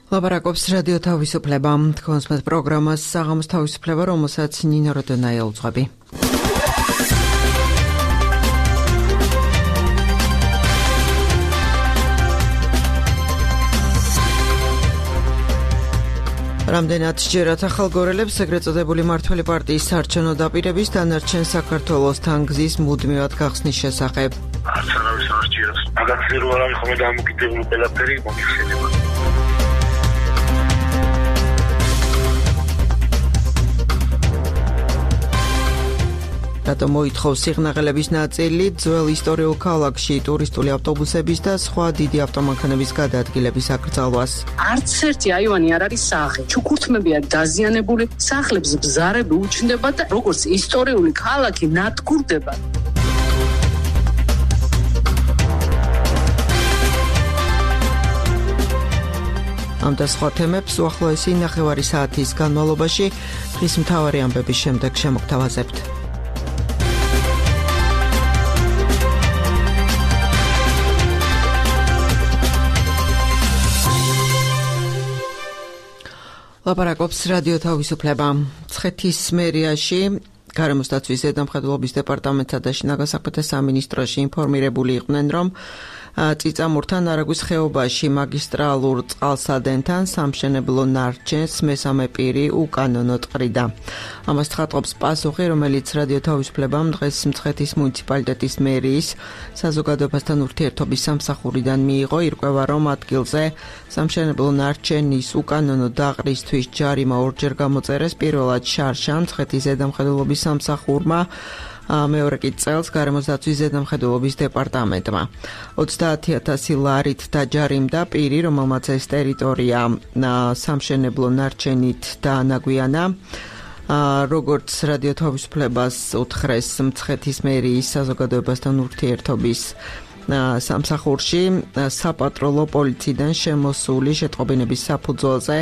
ლაპარაკობს რადიო თავისუფლება. თქვენს პროგრამას საღამოს თავისუფლება, რომელსაც ნინო როდონაია უძღვები. რამდენად ჯერათ ახალგორელებს ეგრეთ წოდებული მმართველი პარტიის საარჩევნო დაპირების დანარჩენ საქართველოსთან გზის მუდმივად გახსნის შესახებ. არც არავის არ სჯეროს. მაგათი რო არ არის ხოლმე დამოკიდებული ყველაფერი მოიხსენება. რატომ მოითხოვს სიღნაღელების ნაწილი ძველ ისტორიულ ქალაქში ტურისტული ავტობუსების და სხვა დიდი ავტომანქანების გადაადგილების აკრძალვას. არც ერთი აივანი არ არის სახე. ჩუქურთმებია დაზიანებული, სახლებს ბზარები უჩნდება და როგორც ისტორიული ქალაქი ნადგურდება. ამ და სხვა თემებს უახლოესი ნახევარი საათის განმავლობაში დღის მთავარი ამბების შემდეგ შემოგთავაზებთ. ლაპარაკობს რადიო თავისუფლება. მცხეთის მერიაში გარემოს დაცვის ზედამხედველობის დეპარტამენტსა და შინაგან საქმეთა სამინისტროში ინფორმირებული იყვნენ, რომ წიწამურთან არაგვის ხეობაში მაგისტრალურ წყალსადენთან სამშენებლო ნარჩენს მესამე პირი უკანონოდ ყრიდა. ამას ცხადყოფს პასუხი, რომელიც რადიო თავისუფლებამ დღეს მცხეთის მუნიციპალიტეტის მერიის საზოგადოებასთან ურთიერთობის სამსახურიდან მიიღო. ირკვევა, რომ ადგილზე სამშენებლო ნარჩენის უკანონო დაყრისთვის ჯარიმა ორჯერ გამოწერეს. პირველად შარშან მცხეთის ზედამხედველობის სამსახურმა, მეორე კი წელს გარემოს დაცვის ზედამხედველობის დეპარტამენტმა. 30,000 ლარით დაჯარიმდა პირი, რომელმაც ეს ტერიტორია სამშენებლო ნარჩენით დაანაგვიანა. როგორც რადიო თავისუფლებას უთხრეს მცხეთის მერიის საზოგადოებასთან ურთიერთობის სამსახურში, საპატროლო პოლიციიდან შემოსული შეტყობინების საფუძველზე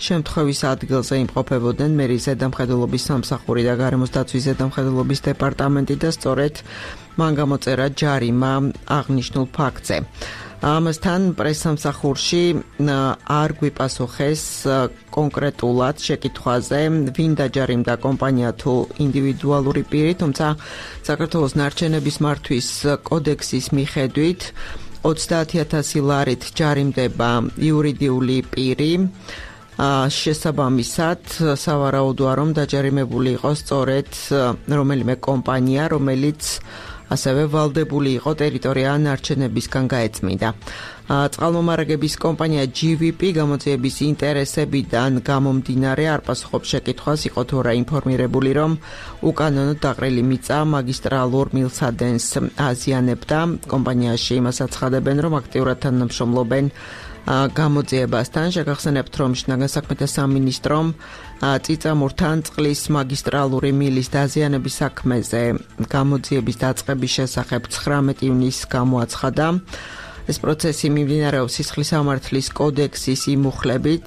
შემთხვევის ადგილზე იმყოფებოდნენ მერიის ზედამხედველობის სამსახური და გარემოს დაცვის ზედამხედველობის დეპარტამენტი და სწორედ მან გამოწერა ჯარიმა აღნიშნულ ფაქტზე. ამასთან პრესსამსახურში არ გვიპასუხეს კონკრეტულად შეკითხვაზე, ვინ დაჯარიმდა კომპანია თუ ინდივიდუალური პირი, თუმცა საქართველოს ნარჩენების მართვის კოდექსის მიხედვით 30,000 ლარით ჯარიმდება იურიდიული პირი. შესაბამისად, სავარაუდოა, რომ დაჯარიმებული იყოს სწორედ რომელიმე კომპანია, რომელიც ასევე ვალდებული იყო ტერიტორია ნარჩენებისგან გაეწმინდა. წყალმომარაგების კომპანია GVP გამოძიების ინტერესებიდან გამომდინარე არ პასუხობს შეკითხვას, იყო თუ არა ინფორმირებული, რომ უკანონოდ დაყრილი მიწა მაგისტრალურ მილსადენს აზიანებდა. კომპანიაში იმას აცხადებენ, რომ აქტიურად თანამშრომლობენ გამოძიებასთან. შეგახსენებთ, რომ შინაგან საქმეთა სამინისტრომ წიწამურთან წყლის მაგისტრალური მილის დაზიანების საქმეზე გამოძიების დაწყების შესახებ 19 ივნისს გამოაცხადა. ეს პროცესი მიმდინარეობს სისხლის სამართლის კოდექსის იმ მუხლებით,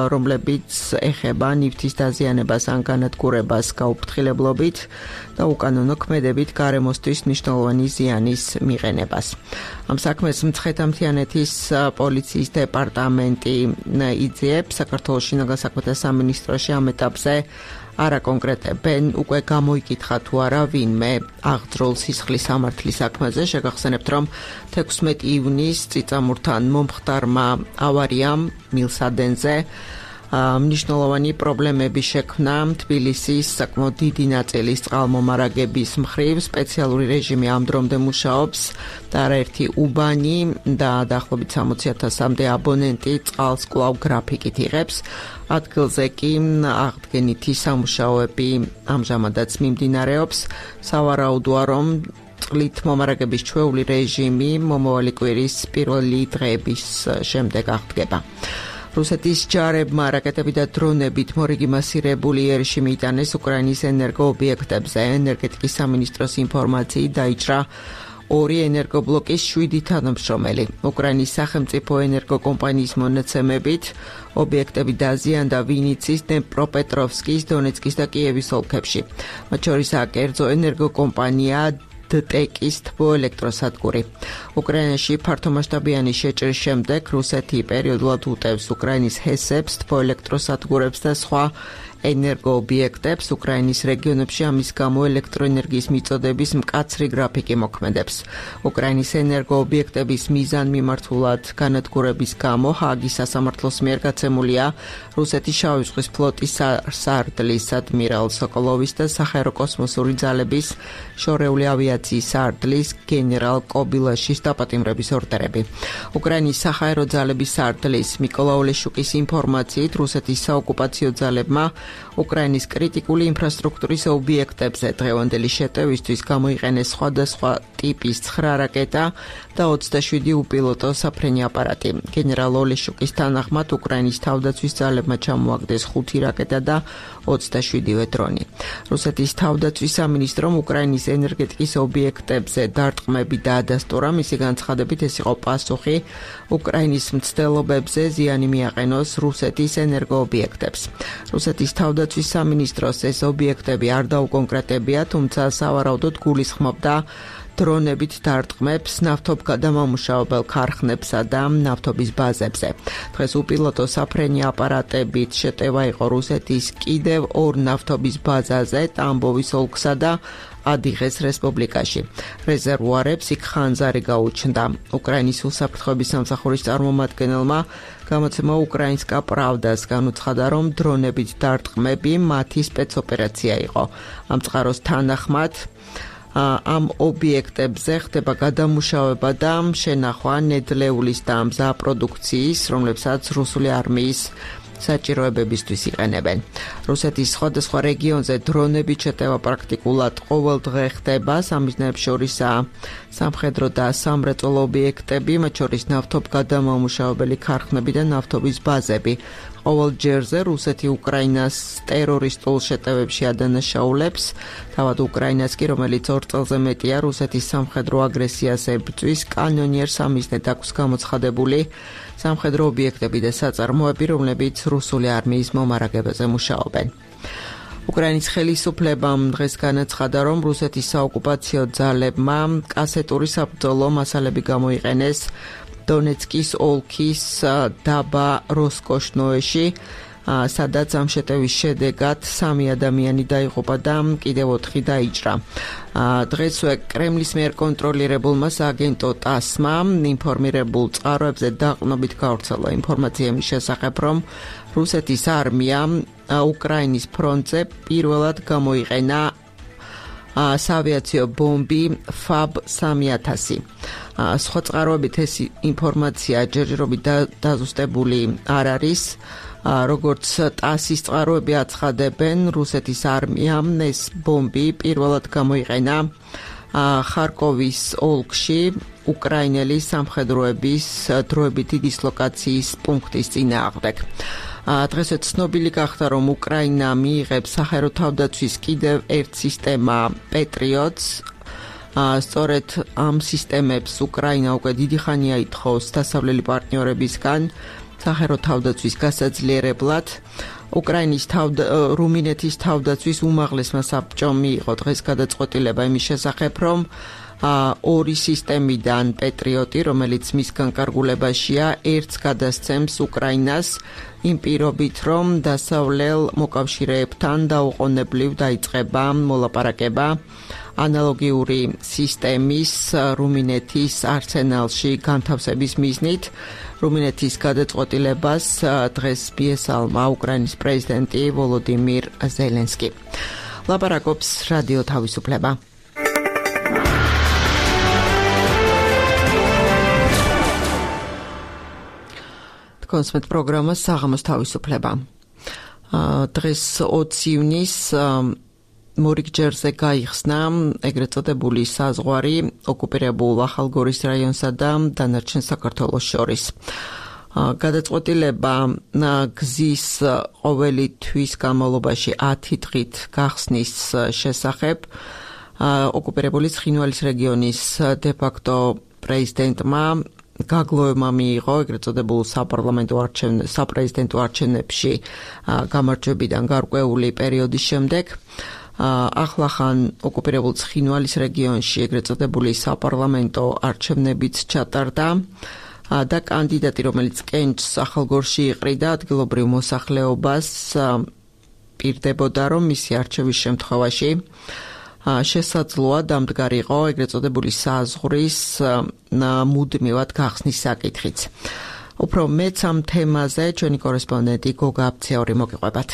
რომლებიც ეხება ნივთის დაზიანებას ან განადგურებას გაუფრთხილებლობით და უკანონო ქმედებით გარემოსთვის მნიშვნელოვანი ზიანის მიღენებას. ამ საქმეს მცხეთა-მთიანეთის პოლიციის დეპარტამენტი იძიებს. საქართველოს შინაგან საქმეთა სამინისტროში ამ ეტაპზე არ აკონკრეტებენ, უკვე გამოიკითხა თუ არა ვინმე აღძრულ სისხლის სამართლის საქმეზე. შეგახსენებთ, რომ 16 ივნისს წიწამურთან მომხდარმა ავარიამ მილსადენზე მნიშვნელოვანი პრობლემები შექმნა თბილისის საკმაოდ დიდი ნაწილის წყალმომარაგების მხრივ. სპეციალური რეჟიმი ამ დრომდე მუშაობს და არაერთი უბანი და დაახლოებით 60,000-მდე აბონენტი წყალს კვლავ გრაფიკით იღებს. ადგილზე კი აღდგენითი სამუშაოები ამჟამადაც მიმდინარეობს. სავარაუდოა, რომ წყლით მომარაგების ჩვეული რეჟიმი მომავალი კვირის პირველი დღეების შემდეგ აღდგება. რუსეთის ჯარებმა რაკეტები და დრონებით მორიგი მასირებული იერიში მიიტანეს უკრაინის ენერგოობიექტებზე. ენერგეტიკის სამინისტროს ინფორმაციით დაიჭრა 2 ენერგობლოკის 7 თანამშრომელი. უკრაინის სახელმწიფო ენერგოკომპანიის მონაცემებით ობიექტები დაზიანდა ვინიცის, დნეპროპეტროვსკის, დონეცკის და კიევის ოლქებში. მათ შორისაა კერძო ენერგოკომპანია დტეკის თბოელექტროსადგური. უკრაინაში ფართომასშტაბიანი შეჭრის შემდეგ რუსეთი პერიოდულად უტევს უკრაინის ჰესებს, თბოელექტროსადგურებს და სხვა ენერგოობიექტებს უკრაინის რეგიონებში, ამის გამო ელექტროენერგიის მიწოდების მკაცრი გრაფიკი მოქმედებს. უკრაინის ენერგოობიექტების მიზანმიმართულად განადგურების გამო ჰააგის სასამართლოს მიერ გაცემულია რუსეთის შავი ზღვის ფლოტის სარდლის ადმირალ სოკოლოვის და საჰაერო კოსმოსური ძალების შორეული ავიაციის სარდლის გენერალ კობილაშის დაპატიმრების ორდერები. უკრაინის საჰაერო ძალების სარდლის მიკოლა ოლეშუკის ინფორმაციით რუსეთის საოკუპაციო ძალებმა უკრაინის კრიტიკული ინფრასტრუქტურის ობიექტებზე დღევანდელი შეტევისთვის გამოიყენეს სხვადასხვა ტიპის 9 რაკეტა და 27 უპილოტო საფრენი აპარატი. გენერალ ოლეშუკის თანახმად უკრაინის თავდაცვის ძალებმა ჩამოაგდეს 5 რაკეტა და 27 დრონი. რუსეთის თავდაცვის სამინისტრომ უკრაინის ენერგეტიკის ობიექტებზე დარტყმები დაადასტურა. მისი განცხადებით ეს იყო პასუხი უკრაინის მცდელობებზე ზიანი მიაყენოს რუსეთის ენერგოობიექტებს. რუსეთის თავდაცვის სამინისტროს ეს ობიექტები არ დაუკონკრეტებია, თუმცა სავარაუდოდ გულისხმობდა დრონებით დარტყმებს ნავთობგადამამუშავებელ ქარხნებსა და ნავთობის ბაზებზე. დღეს უპილოტო საფრენი აპარატებით შეტევა იყო რუსეთის კიდევ 2 ნავთობის ბაზაზე, ტამბოვის ოლქსა და ადიღეს რესპუბლიკაში. რეზერვუარებს იქ ხანძარი გაუჩნდა. უკრაინის უსაფრთხოების სამსახურის წარმომადგენელმა გამოცემა უკრაინსკა პრავდას განუცხადა, რომ დრონებით დარტყმები მათი სპეცოპერაცია იყო. ამ წყაროს თანახმად ამ ობიექტებზე ხდება გადამუშავება და შენახვა ნედლეულის და მზა პროდუქციის, რომლებსაც რუსული არმიის საჭიროებებისთვის იყენებენ. რუსეთის სხვადასხვა რეგიონზე დრონებით შეტევა პრაქტიკულად ყოველ დღე ხდება. სამიზნეებს შორისაა სამხედრო და სამრეწველო ობიექტები, მათ შორის ნავთობგადამამუშავებელი ქარხნები და ნავთობის ბაზები. ყოველ ჯერზე რუსეთი უკრაინას ტერორისტულ შეტევებში ადანაშაულებს. თავად უკრაინას კი, რომელიც 2 წელზე მეტია რუსეთის სამხედრო აგრესიას ებრძვის, კანონიერ სამიზნედ აქვს გამოცხადებული სამხედრო ობიექტები და საწარმოები, რომლებიც რუსული არმიის მომარაგებაზე მუშაობენ. უკრაინის ხელისუფლებამ დღეს განაცხადა, რომ რუსეთის საოკუპაციო ძალებმა კასეტური საბრძოლო მასალები გამოიყენეს დონეცკის ოლქის დაბა როსკოშნოეში, სადაც ამ შეტევის შედეგად 3 ადამიანი დაიღუპა და კიდევ 4 დაიჭრა. დღესვე კრემლის მიერ კონტროლირებულმა სააგენტო ტასმა ინფორმირებულ წყაროებზე დაყრდნობით გავრცელა ინფორმაცია იმის შესახებ, რომ რუსეთის არმიამ უკრაინის ფრონტზე პირველად გამოიყენა საავიაციო ბომბი FAB-3000. სხვა წყაროებით ეს ინფორმაცია ჯერჯერობით დაზუსტებული არ არის. როგორც ტასის წყაროები აცხადებენ, რუსეთის არმიამ ეს ბომბი პირველად გამოიყენა ხარკოვის ოლქში უკრაინელი სამხედროების დროებითი დისლოკაციის პუნქტის წინააღმდეგ. დღესაც ცნობილი გახდა, რომ უკრაინა მიიღებს საჰაერო თავდაცვის კიდევ ერთ სისტემა პეტრიოტს. სწორედ ამ სისტემებს უკრაინა უკვე დიდი ხანია ითხოვს დასავლელი პარტნიორებისგან საჰაერო თავდაცვის გასაძლიერებლად. უკრაინის რუმინეთის თავდაცვის უმაღლესმა საბჭომ მიიღო დღეს გადაწყვეტილება იმის შესახებ, რომ 2 სისტემიდან პეტრიოტი, რომელიც მის განკარგულებაშია, ერთს გადასცემს უკრაინას იმ პირობით, რომ დასავლელ მოკავშირეებთან დაუყოვნებლივ დაიწყება მოლაპარაკება ანალოგიური სისტემის რუმინეთის არსენალში განთავსების მიზნით. რუმინეთის გადაწყვეტილებას დღეს მიესალმა უკრაინის პრეზიდენტი ვოლოდიმირ ზელენსკი. ლაპარაკობს რადიო თავისუფლება. კონსმეთ პროგრამა საღამოს თავისუფლება. დღეს 20 ივნისს მორიგჯერზე გაიხსნა ეგრეთ წოდებული საზღვარი ოკუპირებულ ახალგორის რაიონსა და დანარჩენ საქართველოს შორის. გადაწყვეტილება გზის ყოველი თვის განმავლობაში 10 დღით გახსნის შესახებ ოკუპირებული ცხინვალის რეგიონის დე-ფაქტო პრეზიდენტმა გაგლოვებმა მიიღო ეგრეთ წოდებულ საპრეზიდენტო არჩევნებში გამარჯვებიდან გარკვეული პერიოდის შემდეგ. ახლახან ოკუპირებულ ცხინვალის რეგიონში ეგრეთ წოდებული საპარლამენტო არჩევნებიც ჩატარდა და კანდიდატი, რომელიც კენჭს ახალგორში იყრიდა ადგილობრივ მოსახლეობას, პირდებოდა, რომ მისი არჩევის შემთხვევაში შესაძლოა დამდგარიყო ეგრეთ წოდებული საზღვრის მუდმივად გახსნის საკითხიც. უფრო მეც ამ თემაზე ჩვენი კორესპონდენტი გოგა აბციური მოგიყვებათ.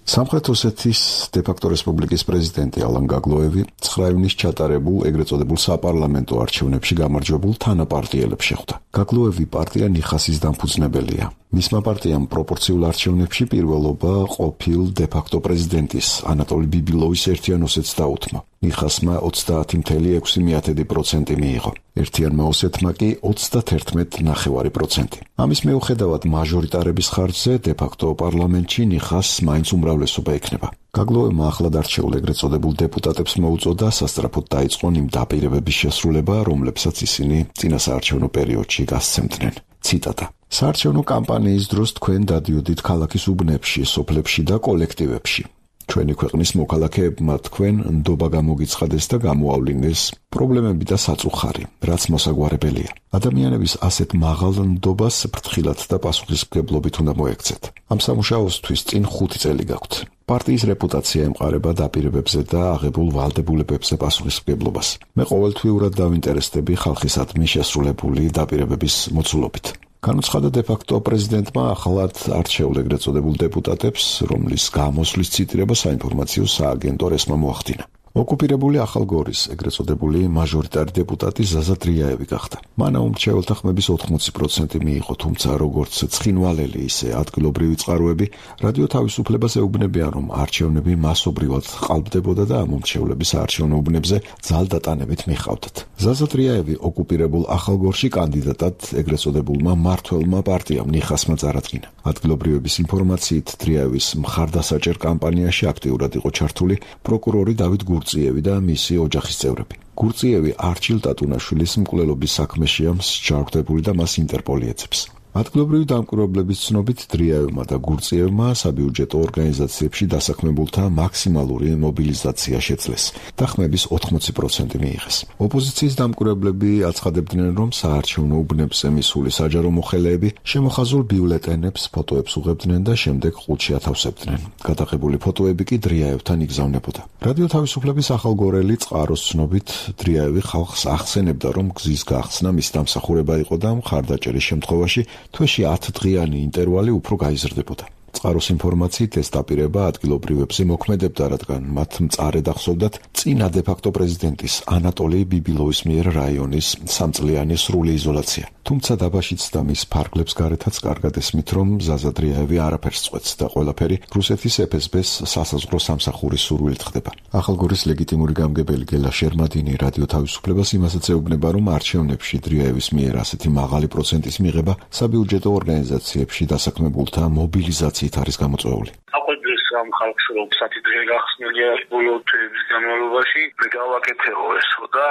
სამხრეთ ოსეთის დე-ფაქტო რესპუბლიკის პრეზიდენტი ალან გაგლოევი 9 ივნისს ჩატარებულ ეგრეთ წოდებულ საპარლამენტო არჩევნებში გამარჯვებულ თანაპარტიელებს შეხვდა. გაგლოევი პარტია ნიხასის დამფუძნებელია. მისმა პარტიამ პროპორციულ არჩევნებში პირველობა ყოფილ დე-ფაქტო პრეზიდენტის ანატოლი ბიბილოვის ერთიან ოსეთს დაუთმო. ნიხასმა 30.6% მიიღო. ერთიანმა ოსეთმა კი 31.9%. ამის მიუხედავად მაჟორიტარების ხარჯზე დე-ფაქტო პარლამენტში ნიხასს მაინც უმრავლესობა ექნება. გაგლოევმა ახლად არჩეულ ეგრეთ წოდებულ დეპუტატებს მოუწოდა სასწრაფოდ დაიწყონ იმ დაპირებების შესრულება, რომლებსაც ისინი წინასაარჩევნო პერიოდში გასცემდნენ. ციტატა: საარჩევნო კამპანიის დროს თქვენ დადიოდით ქალაქის უბნებში, სოფლებში და კოლექტივებში. ჩვენი ქვეყნის მოქალაქეებმა თქვენ ნდობა გამოგიცხადეს და გამოავლინეს პრობლემები და საწუხარი, რაც მოსაგვარებელია. ადამიანების ასეთ მაღალ ნდობას ფრთხილად და პასუხისმგებლობით უნდა მოექცეთ. ამ სამუშაოსთვის წინ 5 წელი გაქვთ. პარტიის რეპუტაცია ემყარება დაპირებებზე და აღებულ ვალდებულებებზე პასუხისმგებლობას. მე ყოველთვიურად დავინტერესდები ხალხისადმი შესრულებული დაპირებების მოცულობით. განუცხადა დე-ფაქტო პრეზიდენტმა ახლად არჩეულ ეგრეთ წოდებულ დეპუტატებს, რომლის გამოსვლის ციტირება საინფორმაციო სააგენტო რესმა მოახდინა. ოკუპირებული ახალგორის ეგრეთ წოდებული მაჟორიტარი დეპუტატი ზაზა დრიაევი გახდა. მან აუმრჩეველთა ხმების 80% მიიღო, თუმცა როგორც ცხინვალელი, ისე ადგილობრივი წყაროები რადიო თავისუფლებას ეუბნებიან, რომ არჩევნები მასობრივად ყალბდებოდა და ამ უმრჩევლების საარჩევნო უბნებზე ძალდატანებით მიჰყავდათ. ზაზა დრიაევი ოკუპირებულ ახალგორში კანდიდატად ეგრეთ წოდებულმა მმართველმა პარტიამ ნიხასმა წარადგინა. ადგილობრივების ინფორმაციით დრიაევის მხარდასაჭერ კამპანიაში აქტიურად იყო ჩართული პროკურორი დავით გურწიევი და მისი ოჯახის წევრები. გურწიევი არჩილ ტატუნაშვილის მკვლელობის საქმეშია მსჯავრდებული და მას ინტერპოლი ეძებს. ადგილობრივი დამკვირვებლების ცნობით დრიაევმა და გურწიევმა საბიუჯეტო ორგანიზაციებში დასაქმებულთა მაქსიმალური მობილიზაცია შეძლეს და ხმების 80% მიიღეს. ოპოზიციის დამკვირვებლები აცხადებდნენ, რომ საარჩევნო უბნებზე მისული საჯარო მოხელეები შემოხაზულ ბიულეტენებს, ფოტოებს უღებდნენ და შემდეგ ყუთში ათავსებდნენ. გადაღებული ფოტოები კი დრიაევთან იგზავნებოდა. რადიო თავისუფლების ახალგორელი წყაროს ცნობით დრიაევი ხალხს ახსენებდა, რომ გზის გახსნა მის დამსახურება იყო და მხარდაჭერის შემთხვევაში თვეში 10 დღიანი ინტერვალი უფრო გაიზრდებოდა. წყაროს ინფორმაციით ეს დაპირება ადგილობრივებზე მოქმედებდა, რადგან მათ მწარედ ახსოვდათ წინა დე-ფაქტო პრეზიდენტის ანატოლი ბიბილოვის მიერ რაიონის 3 წლიანი სრული იზოლაცია. თუმცა დაბაშიც და მის ფარგლებს გარეთაც კარგად ესმით, რომ ზაზა დრიაევი არაფერს წყვეტს და ყველაფერი რუსეთის FSB-ს სასაზღვრო სამსახურის სურვილით ხდება. ახალგორის ლეგიტიმური გამგებელი გელა შერმადინი რადიო თავისუფლებას იმასაც ეუბნება, რომ არჩევნებში დრიაევის მიერ ასეთი მაღალი პროცენტის მიღება საბიუჯეტო ორგანიზაციებში დასაქმებულთა მობილიზაციით არის გამოწვეული. აყვედრეს ამ ხალხს, რომ საფრთხე გახსნილია ბოლო თვეების განმავლობაში, მე გავაკეთეო ესო და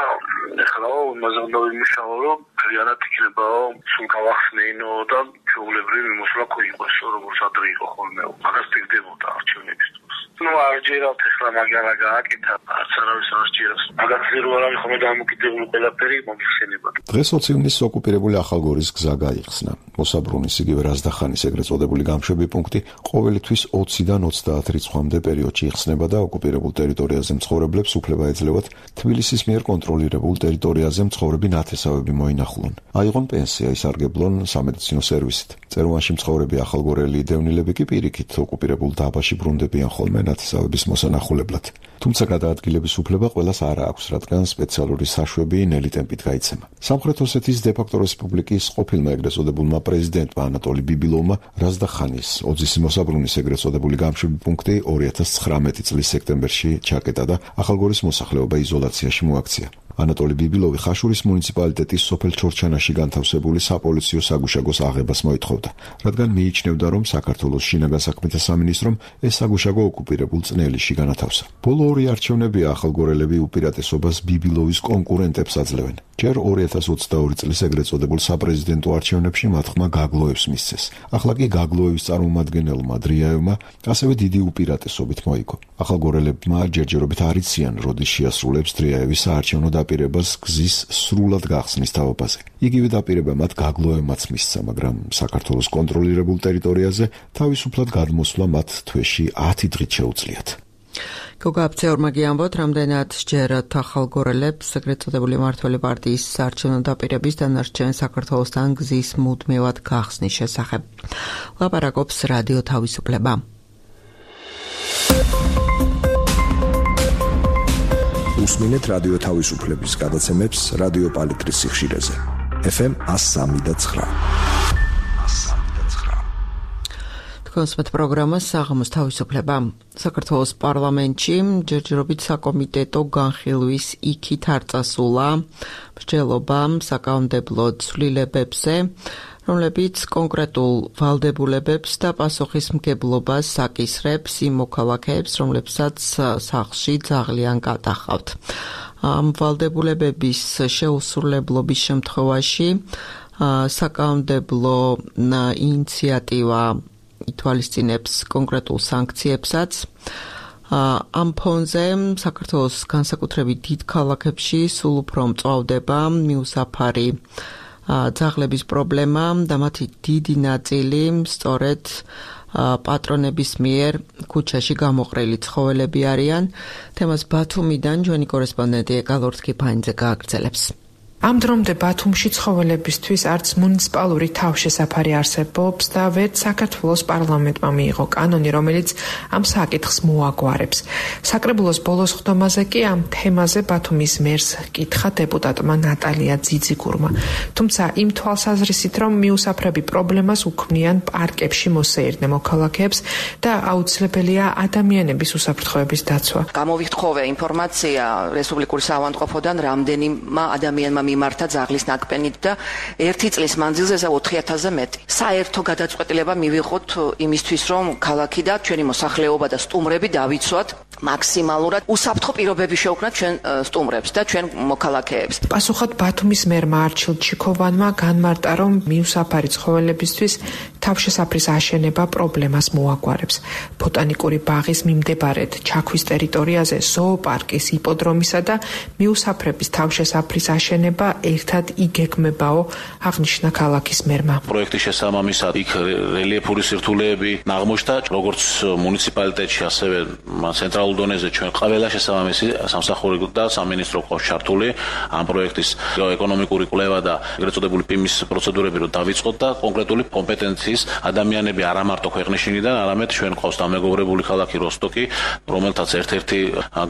ეხლა იმაზე უნდა ვიმუშაო, რომ realat იქნება სულ გავახსნეინო და ჩვეულებრივი მოსვლა იყოს, როგორც ადრე იყო ხოლმე. მაგას პირდებოდა არჩევნების დროს. ნუ არჯერათ ეხლა მაგარა გააკეთა, არც არავის არჯერას. მაგას ზერო არ არის ხოლმე დამოკიდებული ყველაფერი მომხსენება. დღეს 20 ივნისს ოკუპირებული ახალგორის გზა გაიხსნა. მოსაბრუნის იგივე რაზდახანის ეგრეთ წოდებული გამშვები პუნქტი ყოველთვის 20-დან 30 რიცხვამდე პერიოდში იხსნება და ოკუპირებულ ტერიტორიაზე მცხოვრებლებს უფლება ეძლევათ თბილისის მიერ კონტროლირებულ ტერიტორიაზე მცხოვრები ნათესავები მოინახულონ. აიღონ პენსია, ისარგებლონ სამედიცინო სერვისით. წეროვანში მცხოვრები ახალგორელი დევნილები კი პირიქით ოკუპირებულ დაბაში ბრუნდებიან ხოლმე ნათესავების მოსანახულებლად. თუმცა გადაადგილების უფლება ყველას არ აქვს, რადგან სპეციალური საშვები ნელი ტემპით გაიცემა. სამხრეთ ოსეთის დე-ფაქტო რესპუბლიკის ყოფილმა ეგრეთ წოდებულმა პრეზიდენტმა ანატოლი ბიბილოვმა რაზდახანის ოძის მოსაბრუნის ეგრეთ წოდებული გამშვები პუნქტი 2019 წლის სექტემბერში ჩაკეტა და ახალგორის მოსახლეობა იზოლაციაში მოაქცია. ანატოლი ბიბილოვი ხაშურის მუნიციპალიტეტის სოფელ ჩორჩანაში განთავსებული საპოლიციო საგუშაგოს აღებას მოითხოვდა, რადგან მიიჩნევდა, რომ საქართველოს შინაგან საქმეთა სამინისტრომ ეს საგუშაგო ოკუპირებულ წნელიში განათავსა. ბოლო ორი არჩევნები ახალგორელები უპირატესობას ბიბილოვის კონკურენტებს აძლევენ. ჯერ 2022 წლის ეგრეთ წოდებულ საპრეზიდენტო არჩევნებში მათ ხმა გაგლოევს მისცეს. ახლა კი გაგლოევის წარმომადგენელმა დრიაევმა ასევე დიდი უპირატესობით მოიგო. ახალგორელებმა ჯერჯერობით არ იციან, როდის შეასრულებს დრიაევის საარჩევნო დაპირებას გზის სრულად გახსნის თაობაზე. იგივე დაპირება მათ გაგლოევმაც მისცა, მაგრამ საქართველოს კონტროლირებულ ტერიტორიაზე თავისუფლად გადმოსვლა მათ თვეში 10 დღით შეუძლიათ. გოგა აფცეორმა გიამბოთ, რამდენად სჯერათ ახალგორელებს ეგრეთ წოდებული მმართველი პარტიის საარჩევნო დაპირების დანარჩენ საქართველოსთან გზის მუდმივად გახსნის შესახებ. ლაპარაკობს რადიო თავისუფლება. უსმინეთ რადიო თავისუფლების გადაცემებს რადიო პალიტრის სიხშირეზე. FM 103.9. კონსპეთ პროგრამა საღამოს თავისუფლება. საქართველოს პარლამენტში ჯერჯერობით საკომიტეტო განხილვის იქით არ წასულა მსჯელობა საკანონმდებლო ცვლილებებზე, რომლებიც კონკრეტულ ვალდებულებებს და პასუხისმგებლობას აკისრებს იმ მოქალაქეებს, რომლებსაც სახლში ძაღლიან გადახავთ. ამ ვალდებულებების შეუსრულებლობის შემთხვევაში საკანონმდებლო ინიციატივა ითვალისწინებს კონკრეტულ სანქციებსაც. ამ ფონზე საქართველოს განსაკუთრებით დიდ ქალაქებში სულ უფრო მწვავდება მიუსაფარი ძაღლების პრობლემა და მათი დიდი ნაწილი სწორედ პატრონების მიერ ქუჩაში გამოყრილი ცხოველები არიან. თემას ბათუმიდან ჩვენი კორესპონდენტი ეკალორთ კიფანიძე გააგრძელებს. ამ დრომდე ბათუმში ცხოველებისთვის არც მუნიციპალური თავშესაფარი არსებობს და ვერც საქართველოს პარლამენტმა მიიღო კანონი, რომელიც ამ საკითხს მოაგვარებს. საკრებულოს ბოლოს ხდომაზე კი ამ თემაზე ბათუმის მერს კითხა დეპუტატმა ნატალია ძიძიგურმა. თუმცა იმ თვალსაზრისით, რომ მიუსაფრები პრობლემას უქმნიან პარკებში მოსეირნე მოქალაქეებს და აუცილებელია ადამიანების უსაფრთხოების დაცვა. გამოვიხთხოვე ინფორმაცია რესპუბლიკური საავადმყოფოდან, რამდენიმე ადამიანმა მიმართა ძაღლის ნაკბენით და 1 წლის მანძილზე 4,000-ზე მეტი. საერთო გადაწყვეტილება მივიღოთ იმისთვის, რომ ქალაქი და ჩვენი მოსახლეობა და სტუმრები დავიცვათ მაქსიმალურად უსაფრთხო პირობები შევქმნათ ჩვენ სტუმრებს და ჩვენ მოქალაქეებს. პასუხად ბათუმის მერმა არჩილ ჩიქოვანმა განმარტა, რომ მიუსაფარი ცხოველებისთვის თავშესაფრის აშენება პრობლემას მოაგვარებს. ბოტანიკური ბაღის მიმდებარედ ჩაქვის ტერიტორიაზე ზოოპარკის, იპოდრომისა და მიუსაფრების თავშესაფრის აშენება ერთად იგეგმებაო, აღნიშნა ქალაქის მერმა. პროექტის შესაბამისად იქ რელიეფური სირთულეები აღმოჩნდა, როგორც მუნიციპალიტეტში, ასევე ცენტრალურ დონეზე ჩვენ ყველა შესაბამისი სამსახური და სამინისტრო ყავს ჩართული ამ პროექტის ეკონომიკური კვლევა და ეგრეთ წოდებული პიმის პროცედურები რომ დავიწყოთ და კონკრეტული კომპეტენციის ადამიანები არა მარტო ქვეყნის შინიდან, არამედ ჩვენ ყავს დამეგობრებული ქალაქი როსტოკი, რომელთაც ერთ-ერთი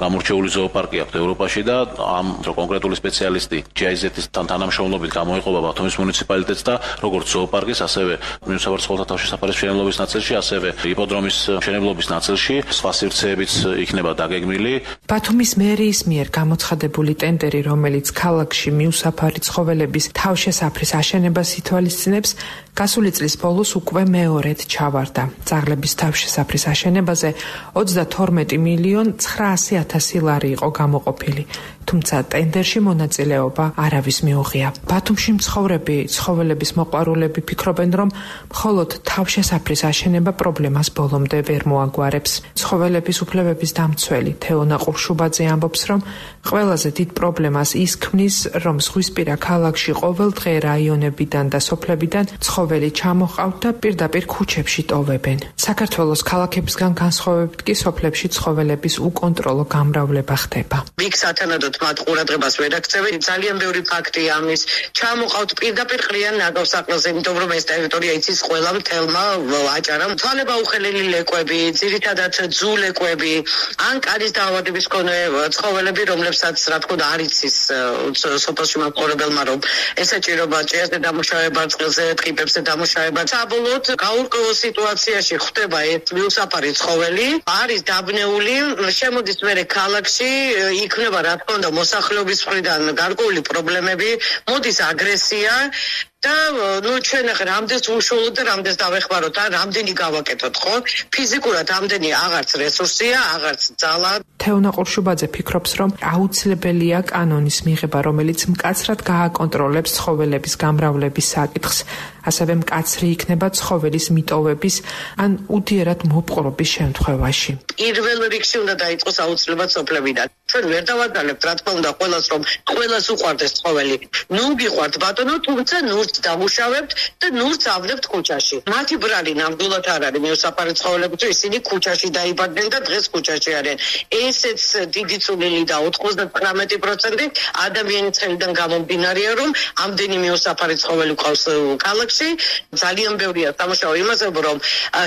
გამორჩეული ზოოპარკი აქვს ევროპაში და ამ კონკრეტული სპეციალისტი GIZ-ის თანამშრომლობით გამოიყოფა ბათუმის მუნიციპალიტეტს და როგორც ზოოპარკის, ასევე მიუსაფარ ცხოველთა თავშესაფარის მშენებლობის ნაწილში, ასევე იპოდრომის მშენებლობის ნაწილში სხვა სივრცეებიც იქნება დაგეგმილი. ბათუმის მერიის მიერ გამოცხადებული ტენდერი, რომელიც ქალაქში მიუსაფარი ცხოველების თავშესაფრის აშენებას ითვალისწინებს, გასული წლის ბოლოს უკვე მეორედ ჩავარდა. ძაღლების თავშესაფრის აშენებაზე 22,900,000 ლარი იყო გამოყოფილი. თუმცა ტენდერში მონაწილეობა არავის მიუღია. ბათუმში მცხოვრები ცხოველების მოყვარულები ფიქრობენ, რომ მხოლოდ თავშესაფრის აშენება პრობლემას ბოლომდე ვერ მოაგვარებს. ცხოველების უფლებების დამცველი თეონა ყურშუბაძე ამბობს, რომ ყველაზე დიდ პრობლემას ის ქმნის, რომ ზღვისპირა ქალაქში ყოველდღე რაიონებიდან და სოფლებიდან ცხოველი ჩამოყავთ და პირდაპირ ქუჩებში ტოვებენ. საქართველოს ქალაქებისგან განსხვავებით კი სოფლებში ცხოველების უკონტროლო გამრავლება ხდება. იქ სათანადოდ მათ ყურადღებას ვერ აქცევენ. ძალიან ბევრი ფაქტია ამის. ჩამოყავთ პირდაპირ ყრიან ნაგავსაყრელზე, იმიტომ რომ ეს ტერიტორია იცის ყველა მთელმა აჭარამ. თვალება უხელელი ლეკვები, ძირითადად ძუ ლეკვები, ან კანის დაავადების მქონე ცხოველები, რომლებსაც რა თქმა უნდა არ იცის სოფელში მაცხოვრებელმა, რომ ესაჭიროება ჭიაზე დამუშავება, წყალზე, ტყიპებზე დამუშავება. საბოლოოდ გაურკვეველ სიტუაციაში ხდება ეს მიუსაფარი ცხოველი, არის დაბნეული, შემოდის მერე ქალაქში, იქნება რა თქმა უნდა მოსახლეობის მხრიდან გარკვეული პრობლემები, მოდის აგრესია და ჩვენ ახლა რამდენს უშუალოდ და რამდენს დავეხმაროთ, ან რამდენი გავაკეთოთ, ხო? ფიზიკურად რამდენი აღარც რესურსია, აღარც ძალა. თეონა ყურშუბაძე ფიქრობს, რომ აუცილებელია კანონის მიღება, რომელიც მკაცრად გააკონტროლებს ცხოველების გამრავლების საკითხს, ასევე მკაცრი იქნება ცხოველის მიტოვების ან უდიერად მოპყრობის შემთხვევაში. პირველ რიგში უნდა დაიწყოს აუცილებლად სოფლებიდან. ჩვენ ვერ დავადალებთ, რა თქმა უნდა, ყველას რომ ყველას უყვარდეს ცხოველი. ნუ გიყვართ ბატონო, თუმცა ნურც დამუშავებთ და ნურც ავნებთ ქუჩაში. მათი ბრალი ნამდვილად არ არის მიუსაფარი ცხოველები, თუ ისინი ქუჩაში დაიბადნენ და დღეს ქუჩაში არიან. ესეც დიდი წვლილი და 99% ადამიანის ხელიდან გამომდინარეა, რომ ამდენი მიუსაფარი ცხოველი ყავს ქალაქში. ძალიან ბევრია სამუშაო იმაზე, რომ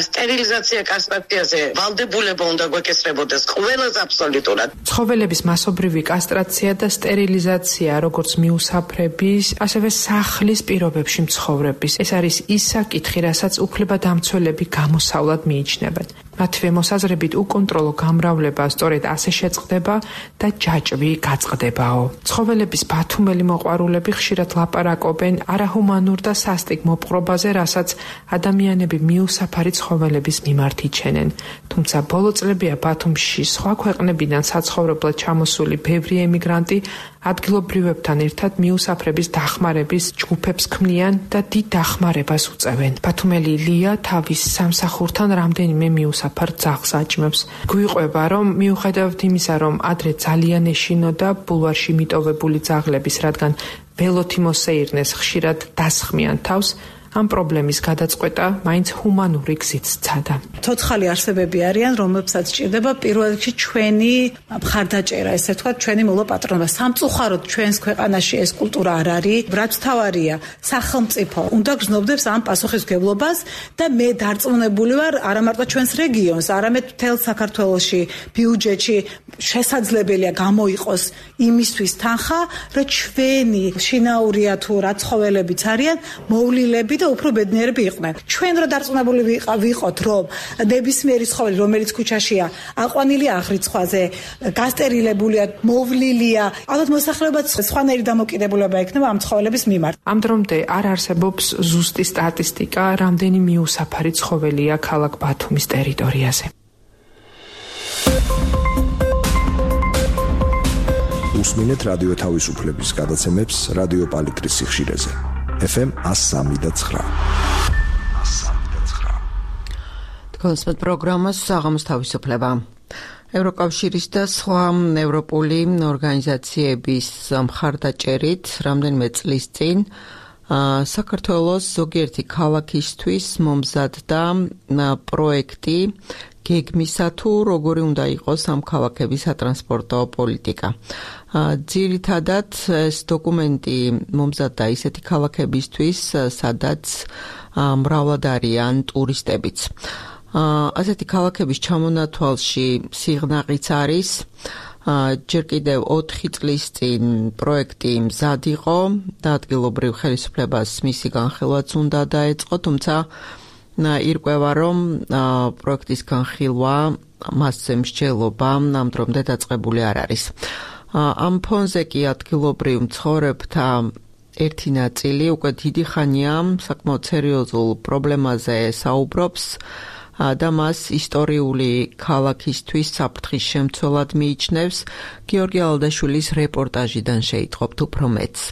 სტერილიზაცია კასტრაციაზე ვალდებულება უნდა გვეკისრებოდეს ყველას აბსოლუტურად. ცხოველების მასობრივი კასტრაცია და სტერილიზაცია, როგორც მიუსაფრების, ასევე სახლის პირობებში მცხოვრების. ეს არის ის საკითხი, რასაც უფლებადამცველები გამოსავლად მიიჩნევენ. მათივე მოსაზრებით უკონტროლო გამრავლება სწორედ ასე შეწყდება და ჯაჭვი გაწყდებაო. ცხოველების ბათუმელი მოყვარულები ხშირად ლაპარაკობენ არაჰუმანურ და სასტიკ მოპყრობაზე, რასაც ადამიანები მიუსაფარი ცხოველების მიმართ იჩენენ. თუმცა ბოლო წლებია ბათუმში სხვა ქვეყნებიდან საცხოვრებლად ჩამოსული ბევრი ემიგრანტი ადგილობრივებთან ერთად მიუსაფრების დახმარების ჯგუფებს ქმნიან და დიდ დახმარებას უწევენ. ბათუმელი ლია თავის სამსახურთან რამდენიმე მიუსაფარ ძაღლს აჭმევს. გვიყვება, რომ მიუხედავად იმისა, რომ ადრე ძალიან ეშინოდა ბულვარში მიტოვებული ძაღლების, რადგან ველოთი მოსეირნეს ხშირად დასხმიან თავს, ამ პრობლემის გადაწყვეტა მაინც ჰუმანური გზით სცადა. ცოცხალი არსებები არიან, რომლებსაც სჭირდება პირველ რიგში ჩვენი მხარდაჭერა, ესე ვთქვათ, ჩვენი მოლაპატრონება. სამწუხაროდ ჩვენს ქვეყანაში ეს კულტურა არ არის. რაც თავარია, სახელმწიფო უნდა გრძნობდეს ამ პასუხისმგებლობას და მე დარწმუნებული ვარ, არა მარტო ჩვენს რეგიონს, არამედ მთელ საქართველოში ბიუჯეტში შესაძლებელია გამოიყოს იმისთვის თანხა, რომ ჩვენი შინაურია თუ რა ცხოველებიც არიან, მოვლილები და უფრო ბედნიერები იყვნენ. ჩვენ რო დარწმუნებული ვიყოთ, რომ ნებისმიერი ცხოველი, რომელიც ქუჩაშია, აყვანილია აღრიცხვაზე, გასტერილებულია, მოვლილია, ალბათ მოსახლეობაც სხვანაირი დამოკიდებულება ექნება ამ ცხოველების მიმართ. ამ დრომდე არ არსებობს ზუსტი სტატისტიკა, რამდენი მიუსაფარი ცხოველია ქალაქ ბათუმის ტერიტორიაზე. უსმინეთ რადიო თავისუფლების გადაცემებს რადიო პალიტრის სიხშირეზე. FM 103.9. თქვენს პროგრამას საღამოს თავისუფლება. ევროკავშირის და სხვა ევროპული ორგანიზაციების მხარდაჭერით რამდენიმე წლის წინ საქართველოს ზოგიერთი ქალაქისთვის მომზადდა პროექტი გეგმისა თუ როგორი უნდა იყოს ამ ქალაქების სატრანსპორტო პოლიტიკა. ძირითადად ეს დოკუმენტი მომზადდა ისეთი ქალაქებისთვის, სადაც მრავლად არიან ტურისტებიც. ასეთი ქალაქების ჩამონათვალში სიღნაღიც არის. ჯერ კიდევ 4 წლის წინ პროექტი მზად იყო და ადგილობრივ ხელისუფლებას მისი განხილვაც უნდა დაეწყო, თუმცა ირკვევა, რომ პროექტის განხილვა მასზე მსჯელობა ამ დრომდე დაწყებული არ არის. ამ ფონზე კი ადგილობრივ მცხოვრებთა ერთი ნაწილი უკვე დიდი ხანია საკმაოდ სერიოზულ პრობლემაზე საუბრობს და მას ისტორიული ქალაქისთვის საფრთხის შემცველად მიიჩნევს. გიორგი ალდაშვილის რეპორტაჟიდან შეიტყობთ უფრო მეტს.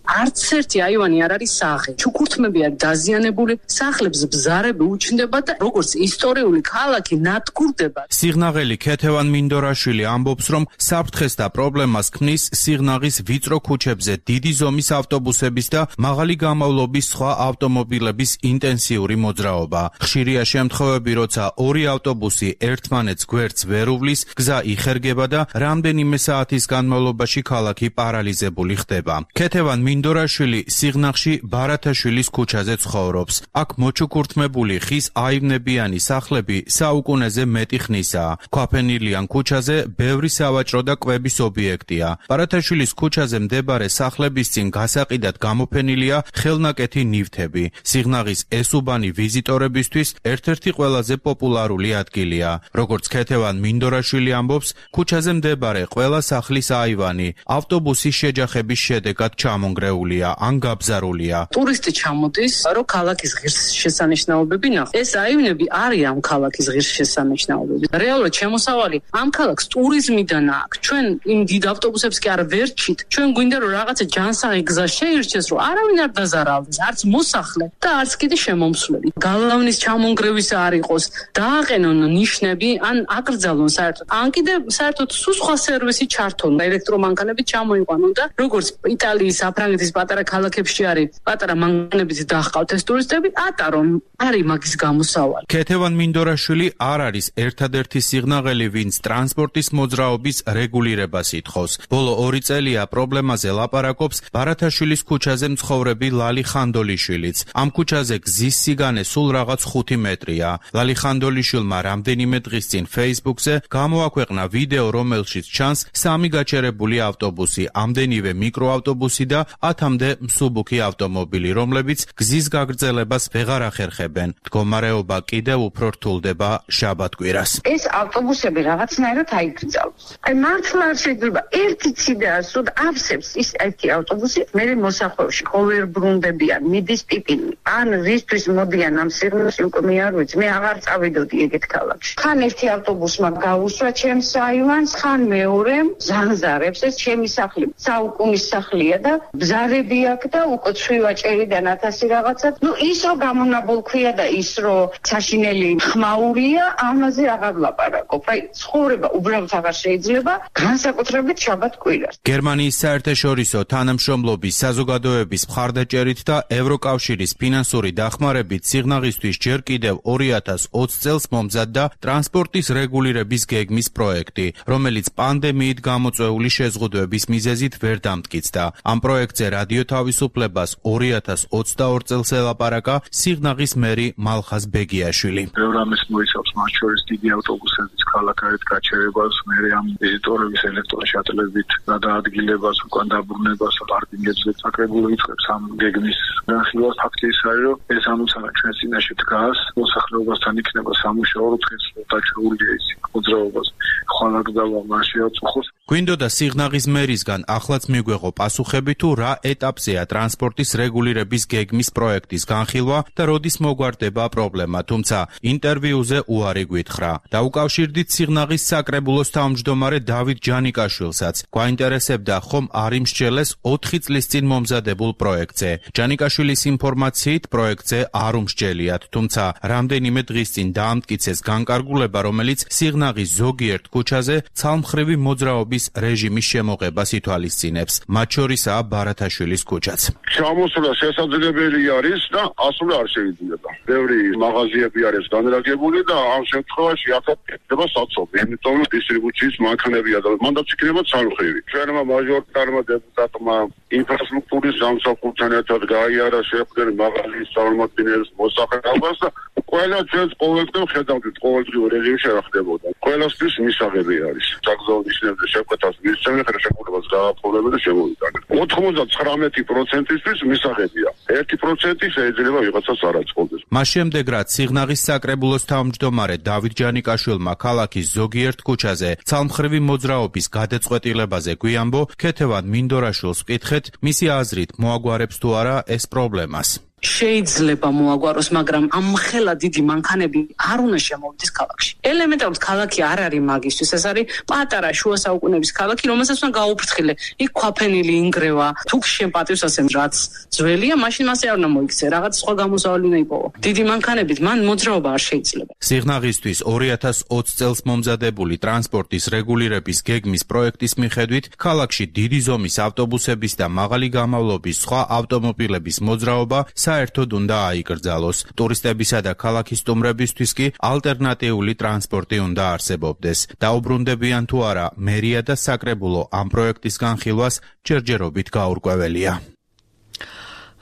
არც ერთი აივანი არ არის სახე. ჩუქურთმებია დაზიანებული, სახლებს ბზარები უჩნდება და როგორც ისტორიული ქალაქი ნადგურდება. სიღნაღელი ქეთევან მინდორაშვილი ამბობს, რომ საფრთხეს და პრობლემას ქმნის სიღნაღის ვიწრო ქუჩებზე დიდი ზომის ავტობუსების და მაღალი გამავლობის სხვა ავტომობილების ინტენსიური მოძრაობა. ხშირია შემთხვევები, როცა ორი ავტობუსი ერთმანეთს გვერდს ვერ უვლის, გზა იხერგება და რამდენიმე საათის განმავლობაში ქალაქი პარალიზებული ხდება. ქეთევან მინდორაშვილი სიღნაღში ბარათაშვილის ქუჩაზე ცხოვრობს. აქ მოჩუქურთმებული ხის აივნებიანი სახლები საუკუნეზე მეტი ხნისაა. ქვაფენილიან ქუჩაზე ბევრი სავაჭრო და კვების ობიექტია. ბარათაშვილის ქუჩაზე მდებარე სახლების წინ გასაყიდად გამოფენილია ხელნაკეთი ნივთები. სიღნაღის ეს უბანი ვიზიტორებისთვის ერთ-ერთი ყველაზე პოპულარული ადგილია. როგორც ქეთევან მინდორაშვილი ამბობს, ქუჩაზე მდებარე ყველა სახლის აივანი ავტობუსის შეჯახების შედეგად ჩამონგრეულია ან გაბზარულია. ტურისტი ჩამოდის, რომ ქალაქის ღირსშესანიშნაობები ნახოს. ეს აივნები არის ამ ქალაქის ღირსშესანიშნაობები. რეალურად შემოსავალი ამ ქალაქს ტურიზმიდან აქვს. ჩვენ იმ დიდ ავტობუსებს კი არ ვერჩით. ჩვენ გვინდა რომ რაღაცა ჯანსაღი გზა შეირჩეს, რომ არავინ არ დაზარალდეს, არც მოსახლე და არც კიდე შემომსვლელი. გალავნის ჩამონგრევის არ იყოს, დააყენონ ნიშნები, ან აკრძალონ საერთოდ. ან კიდე საერთოდ სხვა სერვისი ჩართონ, ელექტრომანქანები ჩამოიყვანონ და როგორც იტალიის, საფრანგეთის პატარა ქალაქებში არის პატარა მანქანებით დაჰყავთ ეს ტურისტები, ატარონ არის მაგის გამოსავალი. ქეთევან მინდორაშვილი არ არის ერთადერთი სიღნაღელი, ვინც ტრანსპორტის მოძრაობის რეგულირებას ითხოვს. ბოლო 2 წელია პრობლემაზე ლაპარაკობს ბარათაშვილის ქუჩაზე მცხოვრები ლალი ხანდოლიშვილიც. ამ ქუჩაზე გზის სიგანე სულ რაღაც 5 მეტრია. ლალი ხანდოლიშვილმა რამდენიმე დღის წინ Facebook-ზე გამოაქვეყნა ვიდეო, რომელშიც ჩანს 3 გაჩერებული ავტობუსი, ამდენივე მიკროავტობუსი და 10-მდე მსუბუქი ავტომობილი, რომლებიც გზის გაგრძელებას ვეღარ ახერხებენ. მდგომარეობა კიდევ უფრო რთულდება შაბათ-კვირას. ეს ავტობუსები რაღაცნაირად აიგრძალოს. აი მართლა არ შეიძლება ერთი ციდას რომ ავსებს ის ერთი ავტობუსი, მე მოსახვევში ყოველ ბრუნდებიან, მიდის პიპინი. ან რისთვის მოდიან ამ სიღნაღში უკვე მე არ ვიცი, მე აღარ წავიდოდი ეგეთ ქალაქში. ხან ერთი ავტობუსმა გაუსვა ჩემს აივანს, ხან მეორემ ზანზარებს, ეს ჩემი სახლი საუკუნის სახლია და ბზარები აქვს და უკვე ცვივაჭერი და 1000 რაღაცა. ნუ ის რომ გამონაბოლქვია და ის რომ საშინელი ხმაურია, ამაზე აღარ ლაპარაკობ. აი ცხოვრება უბრალოდ აღარ შეიძლება, განსაკუთრებით შაბათ-კვირას. გერმანიის საერთაშორისო თანამშრომლობის საზოგადოების მხარდაჭერით და ევროკავშირის ფინანსური დახმარებით სიღნაღისთვის ჯერ კიდევ 2020 წელს მომზადდა ტრანსპორტის რეგულირების გეგმის პროექტი, რომელიც პანდემიით გამოწვეული შეზღუდვების მიზეზით ვერ დამტკიცდა. ამ პროექტზე რადიო თავისუფლებას 2022 წელს ელაპარაკა სიღნაღის მერი მალხაზ ბეგიაშვილი. ბევრ ამას მოიცავს, მათ შორის დიდი ავტობუსების ქალაქარეთ გაჩერებას, მერე ამ ვიზიტორების ელექტროშატლებით გადაადგილებას, უკან დაბრუნებას, პარკინგებზე საკრებულო იწყებს ამ გეგმის განხილვას. ფაქტი ის არის, რომ ეს ამოცანა ჩვენ წინაშე დგას, მოსახლეობასთან იქნება სამუშაო დღეს დაჩეულია ის მოძრაობას, ხვალაგდავა მასშტაბს. გვინდოდა სიღნაღის მერისგან ახლაც მიგვეღო პასუხები თუ რა ეტაპზეა ტრანსპორტის რეგულირების გეგმის პროექტის განხილვა და როდის მოგვარდება პრობლემა, თუმცა ინტერვიუზე უარი გვითხრა. დაუკავშირდით სიღნაღის საკრებულოს თავმჯდომარე დავით ჯანიკაშვილსაც. გვაინტერესებდა ხომ არ იმსჯელეს 4 წლის წინ მომზადებულ პროექტზე. ჯანიკაშვილის ინფორმაციით პროექტზე არ უმსჯელიათ, თუმცა რამდენიმე დღის წინ დაამტკიცეს განკარგულება, რომელიც სიღნაღის ზოგიერთ ქუჩაზე ცალმხრივი მოძრაობის რეჟიმის შემოღებას ითვალისწინებს. მათ შორისაა ბარათაშვილის ქუჩაც. ჩამოსვლა შესაძლებელი არის და ასვლა არ შეიძლება. ბევრი მაღაზიები არის განლაგებული და ამ შემთხვევაში აქაც ხდება საცობი. იმიტომ რომ დისტრიბუციის მანქანებია და მანდაც იქნება ცალმხრივი. ჩვენმა მაჟორიტარმა დეპუტატმა ინფრასტრუქტურის სამსახურთან ერთად გაიარა შეხვედრა მაღაზიის წარმომადგენლებს მოსახლეობას და ყველა ჩვენს ყოველდღიურ ხედავთ, ყოველდღიურ რეჟიმში რა ხდებოდა. ყველასთვის მისაღები არის. საგზაო ნიშნებზე შეკვეთას მისცემენ ხელშეკრულებას გააფორმებენ და შემოვიტანეთ. 99%-ისთვის მისაღებია. 1% შეიძლება ვიღაცას არ აწყობდეს. მას შემდეგ რაც სიღნაღის საკრებულოს თავმჯდომარე დავით ჯანიკაშვილმა ქალაქის ზოგიერთ ქუჩაზე ცალმხრივი მოძრაობის გადაწყვეტილებაზე გვიამბო, ქეთევან მინდორაშვილს ვკითხეთ, მისი აზრით მოაგვარებს თუ არა ეს პრობლემას. შეიძლება მოაგვაროს, მაგრამ ამ ხელა დიდი მანქანები არ უნდა შემოვიდეს ქალაქში. ელემენტარულად ქალაქი არ არის მაგისთვის, ეს არის პატარა შუა საუკუნეების ქალაქი, რომელსაც უნდა გაუფრთხილე. იქ ქვაფენილი ინგრევა, თუ შენ პატივს ასემ რაც ძველია, მაშინ მასე არ უნდა მოიქცე, რაღაც სხვა გამოსავალი უნდა იპოვო. დიდი მანქანებით მან მოძრაობა არ შეიძლება. სიღნაღისთვის 2020 წელს მომზადებული ტრანსპორტის რეგულირების გეგმის პროექტის მიხედვით, ქალაქში დიდი ზომის ავტობუსების და მაღალი გამავლობის სხვა ავტომობილების მოძრაობა საერთოდ უნდა აიკრძალოს. ტურისტებისა და ქალაქის სტუმრებისთვის კი ალტერნატიული ტრანსპორტი უნდა არსებობდეს. დაუბრუნდებიან თუ არა, მერია და საკრებულო ამ პროექტის განხილვას ჯერჯერობით გაურკვეველია.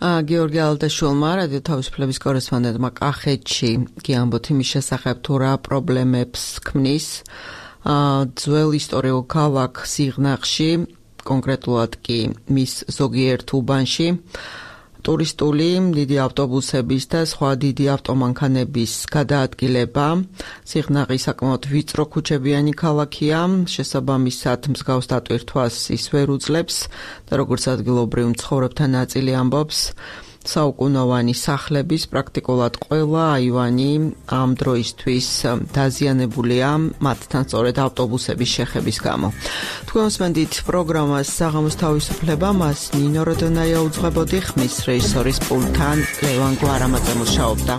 გიორგი ალდაშვილმა რადიო თავისუფლების კორესპონდენტმა კახეთში გიამბოთ იმის შესახებ თუ რა პრობლემებს ქმნის ძველ ისტორიულ ქალაქ სიღნაღში, კონკრეტულად კი მის ზოგიერთ უბანში ტურისტული დიდი ავტობუსების და სხვა დიდი ავტომანქანების გადაადგილება. სიღნაღი საკმაოდ ვიწრო ქუჩებიანი ქალაქია, შესაბამისად მსგავს დატვირთვას ის ვერ უძლებს და როგორც ადგილობრივ მცხოვრებთა ნაწილი ამბობს, საუკუნოვანი სახლების პრაქტიკულად ყველა აივანი ამ დროისთვის დაზიანებულია მათთან სწორედ ავტობუსების შეხების გამო. თქვენ უსმენთ პროგრამას საღამოს თავისუფლება, მას ნინო როდონაია უძღვებოდი, ხმის რეჟისორის პულტთან ლევან გვარამაძე მუშაობდა.